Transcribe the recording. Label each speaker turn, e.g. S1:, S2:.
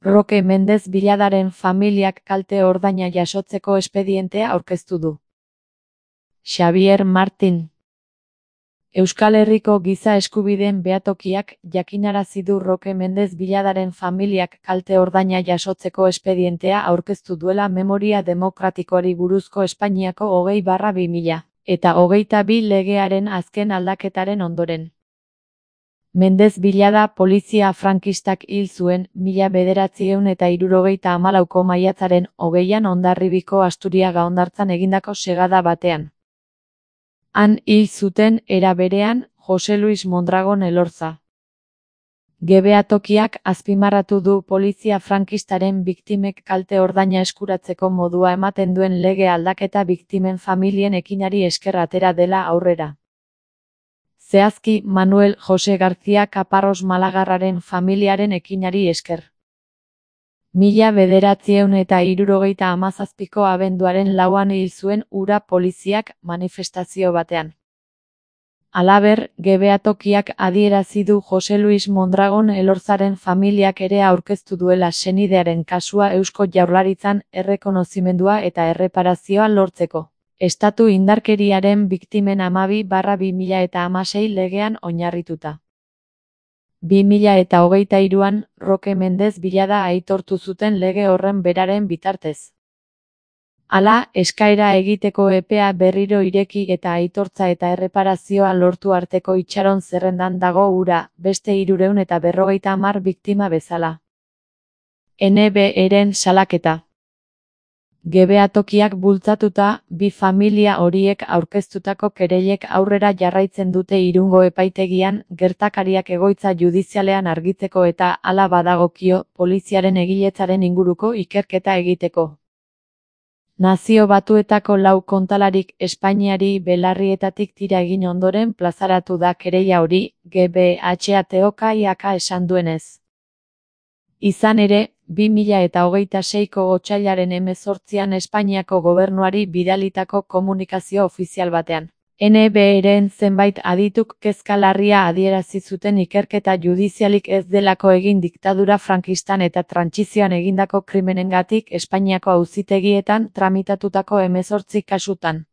S1: Roque Mendez Villadaren familiak kalte ordaina jasotzeko espedientea aurkeztu du. Xabier Martin. Euskal Herriko Giza Eskubideen Behatokiak jakinarazi du Roque Mendez Villadaren familiak kalte ordaina jasotzeko espedientea aurkeztu duela Memoria Demokratikoari buruzko Espainiako 20/2022 legearen azken aldaketaren ondoren. Mendez Villada polizia frankistak hil zuen 1974ko maiatzaren 20an Hondarribiko Asturiaga hondartzan egindako segada batean. Han hil zuten era berean Jose Luis Mondragon Elorza. Behatokiak azpimarratu du polizia frankistaren biktimek kalte ordaina eskuratzeko modua ematen duen lege aldaketa biktimen familien ekinari esker atera dela aurrera. Zehazki Manuel Jose García Caparros Malagarraren familiaren ekinari esker. 1977ko abenduaren 4an hil zuen hura poliziak manifestazio batean. Halaber, behatokiak adierazi du Jose Luis Mondragon Elorzaren familiak ere aurkeztu duela senidearen kasua Eusko Jaurlaritzan errekonozimendua eta erreparazioa lortzeko. Estatu indarkeriaren biktimen 12/2016 legean oinarrituta. 2023an Roque Mendez Villada aitortu zuten lege horren beraren bitartez. Hala, eskaera egiteko epea berriro ireki eta aitortza eta erreparazioa lortu arteko itxaron zerrendan dago hura, beste 350 biktima bezala. NBEren salaketa. Behatokiak bultzatuta, bi familia horiek aurkeztutako kereilek aurrera jarraitzen dute Irungo epaitegian, gertakariak egoitza judizialean argitzeko eta, hala badagokio, poliziaren egiletzaren inguruko ikerketa egiteko. Nazio Batuetako 4 kontalarik Espainiari belarrietatik tira egin ondoren plazaratu da kereila hori, GBHATOKIak esan duenez. Izan ere, 2026ko otsailaren 18an Espainiako gobernuari bidalitako komunikazio ofizial batean. NBEren zenbait adituk kezka larria adierazi zuten ikerketa judizialik ez delako egin diktadura frankistan eta trantsizioan egindako krimenengatik Espainiako auzitegietan tramitatutako 18 kasutan.